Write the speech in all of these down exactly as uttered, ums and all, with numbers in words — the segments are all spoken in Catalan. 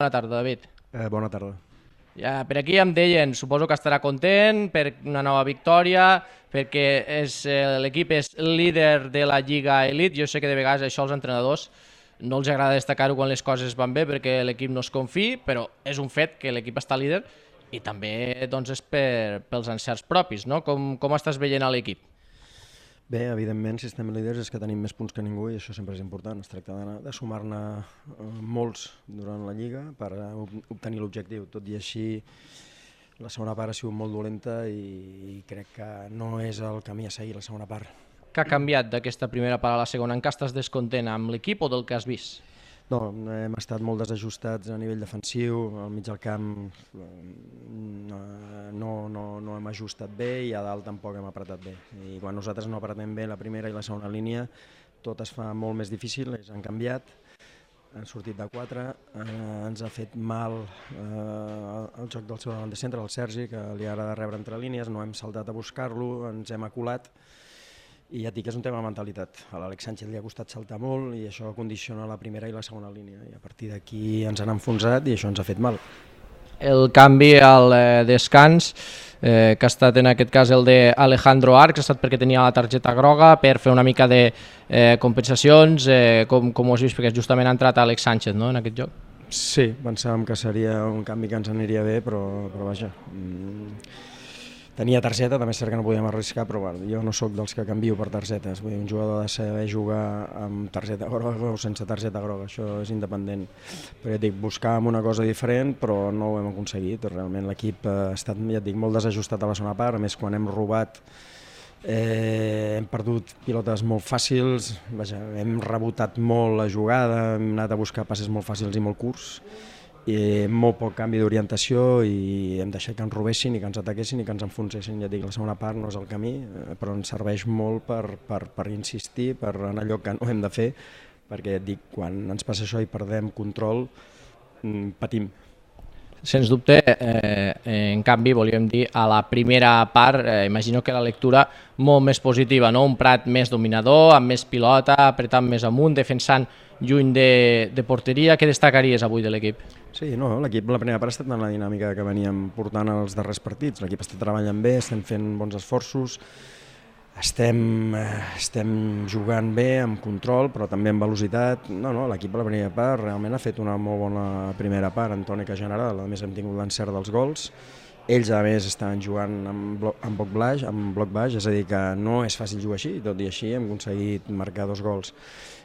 Bona tarda, David. Eh, bona tarda. Ja, per aquí em deien, suposo que estarà content per una nova victòria, perquè és, eh, l'equip és líder de la Lliga Elite. Jo sé que de vegades això als entrenadors no els agrada destacar-ho quan les coses van bé perquè l'equip no es confiï, però és un fet que l'equip està líder i també doncs, és per, pels encerts propis, no? Com, com estàs veient a l'equip? Bé, evidentment, si estem líders és que tenim més punts que ningú i això sempre és important. Es tracta de, de sumar-ne eh, molts durant la Lliga per eh, obtenir l'objectiu. Tot i així, la segona part ha sigut molt dolenta i, i crec que no és el camí a seguir la segona part. Què ha canviat d'aquesta primera part a la segona? En què estàs descontent, amb l'equip o del que has vist? No, hem estat molt desajustats a nivell defensiu, al mig del camp no, no, no hem ajustat bé i a dalt tampoc hem apretat bé. I quan nosaltres no apretem bé la primera i la segona línia, tot es fa molt més difícil, ells han canviat, han sortit de quatre, eh, ens ha fet mal eh, el joc del seu davant de centre, el Sergi, que li agrada rebre entre línies, no hem saltat a buscar-lo, ens hem aculat. I ja et dic que és un tema de mentalitat. A l'Àlex Sánchez li ha costat saltar molt i això condiciona la primera i la segona línia. I a partir d'aquí ens han enfonsat i això ens ha fet mal. El canvi al eh, descans, eh, que ha estat en aquest cas el d'Alejandro Arcs, ha estat perquè tenia la targeta groga, per fer una mica de eh, compensacions, eh, com, com ho has vist, perquè justament ha entrat Àlex Sánchez, no?, en aquest joc. Sí, pensàvem que seria un canvi que ens aniria bé, però, però vaja... Mm... Tenia targeta, també és cert que no podíem arriscar, però bueno, jo no sóc dels que canvio per targetes. Vull dir, un jugador ha de saber jugar amb targeta groga o sense targeta groga, això és independent. Però ja et dic, buscàvem una cosa diferent, però no ho hem aconseguit. Realment l'equip ha estat, ja et dic, molt desajustat a la segona part, a més quan hem robat eh, hem perdut pilotes molt fàcils, vaja, hem rebotat molt la jugada, hem anat a buscar passes molt fàcils i molt curts, i molt poc canvi d'orientació i hem deixat que ens robessin i que ens ataquessin i que ens enfonsessin. Ja dic, la segona part no és el camí, però ens serveix molt per, per, per insistir, per en allò que no hem de fer, perquè ja dic, quan ens passa això i perdem control, patim. Sens dubte, eh, en canvi, volíem dir, a la primera part, eh, imagino que la lectura molt més positiva, no? Un Prat més dominador, amb més pilota, apretant més amunt, defensant lluny de, de porteria. Què destacaries avui de l'equip? Sí, no, l'equip la primera part ha estat en la dinàmica que veníem portant els darrers partits. L'equip està treballant bé, estem fent bons esforços, estem, estem jugant bé, amb control, però també amb velocitat. No, no, l'equip a la primera part realment ha fet una molt bona primera part, en tònica general. A més hem tingut l'encert dels gols. Ells, a més, estaven jugant amb bloc, amb bloc baix, amb bloc baix, és a dir, que no és fàcil jugar així, tot i així hem aconseguit marcar dos gols.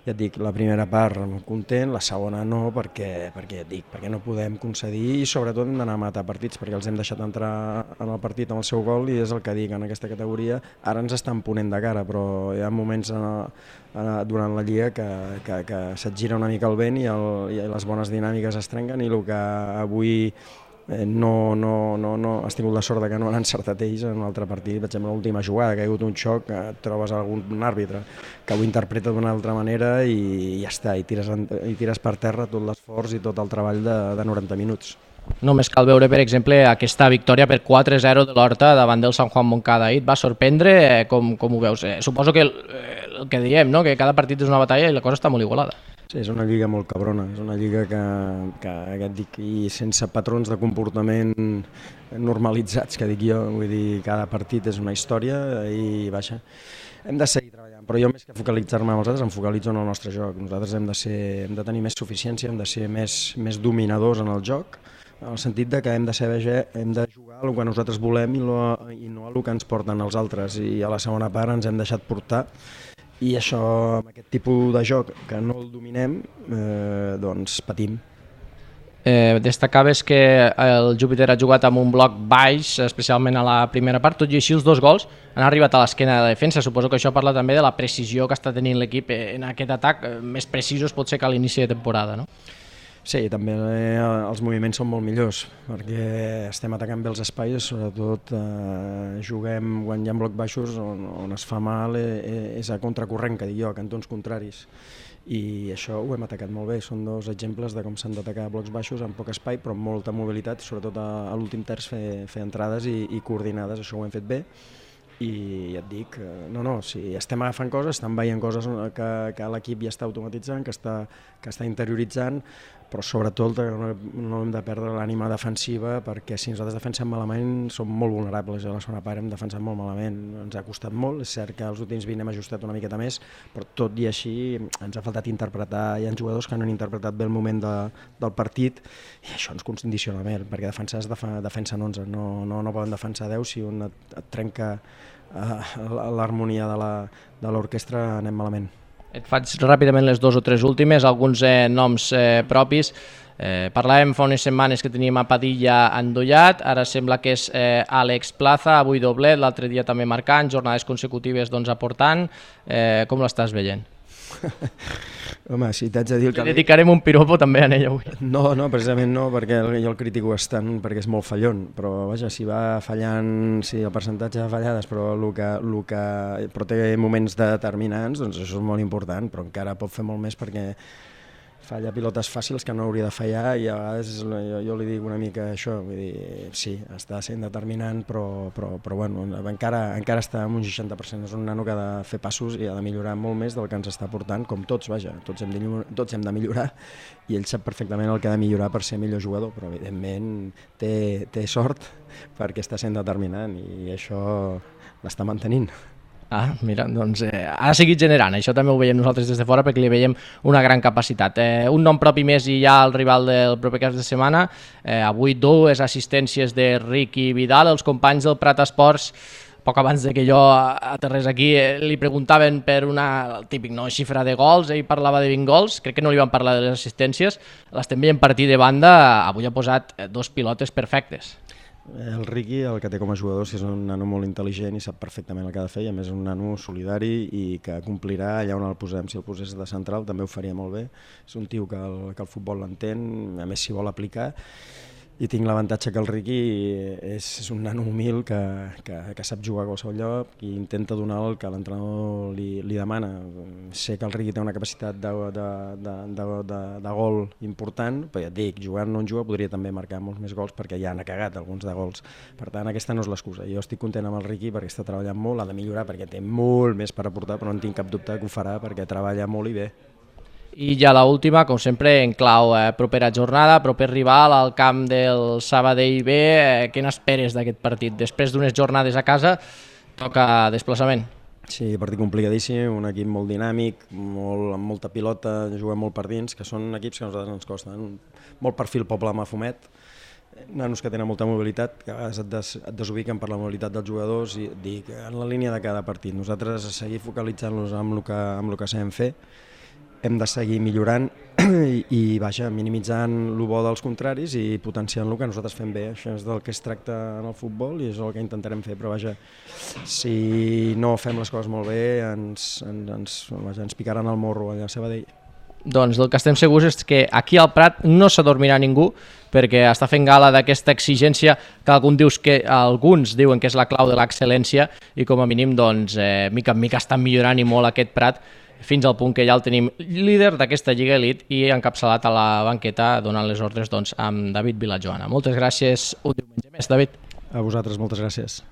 Ja et dic, la primera part content, la segona no, perquè, perquè, ja et dic, perquè no podem concedir i sobretot hem d'anar a matar partits, perquè els hem deixat entrar en el partit amb el seu gol i és el que dic en aquesta categoria. Ara ens estan ponent de cara, però hi ha moments en, en, durant la Lliga que, que, que se't gira una mica el vent i, el, i les bones dinàmiques es trenquen i el que avui Eh, no, no, no, no, has tingut la sort de que no han encertat ells en un altre partit. Per exemple, l'última jugada, que ha hagut un xoc, que trobes algun àrbitre que ho interpreta d'una altra manera i ja està, i tires, i tires per terra tot l'esforç i tot el treball de, de noranta minuts. Només cal veure, per exemple, aquesta victòria per quatre a zero de l'Horta davant del Sant Juan Moncada. Et va sorprendre? Eh, com, com ho veus? Eh, suposo que el, el que diem, no? Que cada partit és una batalla i la cosa està molt igualada. Sí, és una lliga molt cabrona, és una lliga que, que, que et dic, i sense patrons de comportament normalitzats, que dic jo, vull dir, cada partit és una història i baixa. Hem de seguir treballant, però jo més que focalitzar-me amb els altres, em focalitzo en el nostre joc. Nosaltres hem de, ser, hem de tenir més suficiència, hem de ser més, més dominadors en el joc, en el sentit de que hem de saber, hem de jugar el que nosaltres volem i, lo, i no el que ens porten els altres, i a la segona part ens hem deixat portar. I això, amb aquest tipus de joc que no el dominem, eh, doncs patim. Eh, destacaves que el Júpiter ha jugat amb un bloc baix, especialment a la primera part, tot i així els dos gols han arribat a l'esquena de la defensa. Suposo que això parla també de la precisió que està tenint l'equip en aquest atac, més precisos pot ser que a l'inici de temporada, no? Sí, també eh, els moviments són molt millors, perquè estem atacant bé els espais, sobretot eh, juguem quan hi ha blocs baixos on, on es fa mal eh, és a contracorrent, que dic jo, a cantons contraris. I això ho hem atacat molt bé, són dos exemples de com s'han d'atacar blocs baixos amb poc espai però amb molta mobilitat, sobretot a, a l'últim terç fer, fer entrades i, i coordinades, això ho hem fet bé. I ja et dic, no, no, si estem agafant coses, estan veient coses que, que l'equip ja està automatitzant, que està, que està interioritzant, però sobretot no, no hem de perdre l'ànima defensiva, perquè si nosaltres defensem malament som molt vulnerables. A la segona part hem defensat molt malament, ens ha costat molt. És cert que els últims vint hem ajustat una miqueta més, però tot i així ens ha faltat interpretar. Hi ha jugadors que no han interpretat bé el moment de, del partit i això ens condiciona bé, perquè defensar es defa, defensen onze, no, no, no poden defensar deu. Si un et, et trenca uh, l'harmonia de l'orquestra anem malament. Et faig ràpidament les dues o tres últimes, alguns eh, noms eh, propis. Eh, parlàvem fa unes setmanes que teníem a Padilla endollat, ara sembla que és eh, Àlex Plaza, avui doblet, l'altre dia també marcant, jornades consecutives doncs, aportant. Eh, com l'estàs veient? Home, si t'haig de dir... El que... dedicarem un piropo també a ell avui. No, no, precisament no, perquè jo el critico bastant perquè és molt fallon, però vaja, si va fallant, si el percentatge de fallades, però, el que, el que, però té moments determinants, doncs això és molt important, però encara pot fer molt més perquè falla pilotes fàcils que no hauria de fallar i a vegades jo, jo li dic una mica això, vull dir, sí, està sent determinant, però, però, però bueno, encara, encara està en un seixanta per cent, és un nano que ha de fer passos i ha de millorar molt més del que ens està portant, com tots, vaja, tots hem de, tots hem de millorar i ell sap perfectament el que ha de millorar per ser millor jugador, però evidentment té, té sort perquè està sent determinant i això l'està mantenint. Ah, mira, doncs eh, ha seguit generant, això també ho veiem nosaltres des de fora perquè li veiem una gran capacitat. Eh, un nom propi més i ja el rival del proper cap de setmana, eh, avui dues assistències de Ricky Vidal, els companys del Prat Esports, poc abans de que jo aterrés aquí, eh, li preguntaven per una el típic no, xifra de gols, ell parlava de vint gols, crec que no li van parlar de les assistències, l'estem veient partir de banda, avui ha posat dos pilotes perfectes. El Ricky, el que té com a jugador, és un nano molt intel·ligent i sap perfectament el que ha de fer, i a més és un nano solidari i que complirà allà on el posem. Si el posés de central també ho faria molt bé. És un tio que el, que el futbol l'entén, a més s'hi vol aplicar, i tinc l'avantatge que el Ricky és, és un nano humil que, que, que sap jugar a qualsevol lloc i intenta donar el que l'entrenador li, li demana. Sé que el Ricky té una capacitat de, de, de, de, de, de gol important, però ja et dic, jugant no en juga podria també marcar molts més gols perquè ja n'ha cagat alguns de gols. Per tant, aquesta no és l'excusa. Jo estic content amb el Ricky perquè està treballant molt, ha de millorar perquè té molt més per aportar, però no en tinc cap dubte que ho farà perquè treballa molt i bé. I ja l'última, com sempre, en clau eh, propera jornada, proper rival al camp del Sabadell B. Eh, què n'esperes d'aquest partit? Després d'unes jornades a casa, toca desplaçament. Sí, partit complicadíssim, un equip molt dinàmic, molt, amb molta pilota, juguen molt per dins, que són equips que a nosaltres ens costen. Molt perfil poble Mafumet, nanos que tenen molta mobilitat, que a vegades et, des, et desubiquen per la mobilitat dels jugadors i dic, en la línia de cada partit. Nosaltres a seguir focalitzant-los amb el que, amb el que sabem fer, hem de seguir millorant i, i vaja, minimitzant el bo dels contraris i potenciant el que nosaltres fem bé. Això és del que es tracta en el futbol i és el que intentarem fer, però vaja, si no fem les coses molt bé ens, ens, ens, vaja, ens picaran el morro allà a Sabadell. Doncs del que estem segurs és que aquí al Prat no s'adormirà ningú perquè està fent gala d'aquesta exigència que alguns, dius que, alguns diuen que és la clau de l'excel·lència i com a mínim doncs, eh, mica en mica estan millorant i molt aquest Prat fins al punt que ja el tenim líder d'aquesta Lliga Elite i encapçalat a la banqueta donant les ordres doncs, amb David Vilajoana. Moltes gràcies un diumenge més, David. A vosaltres, moltes gràcies.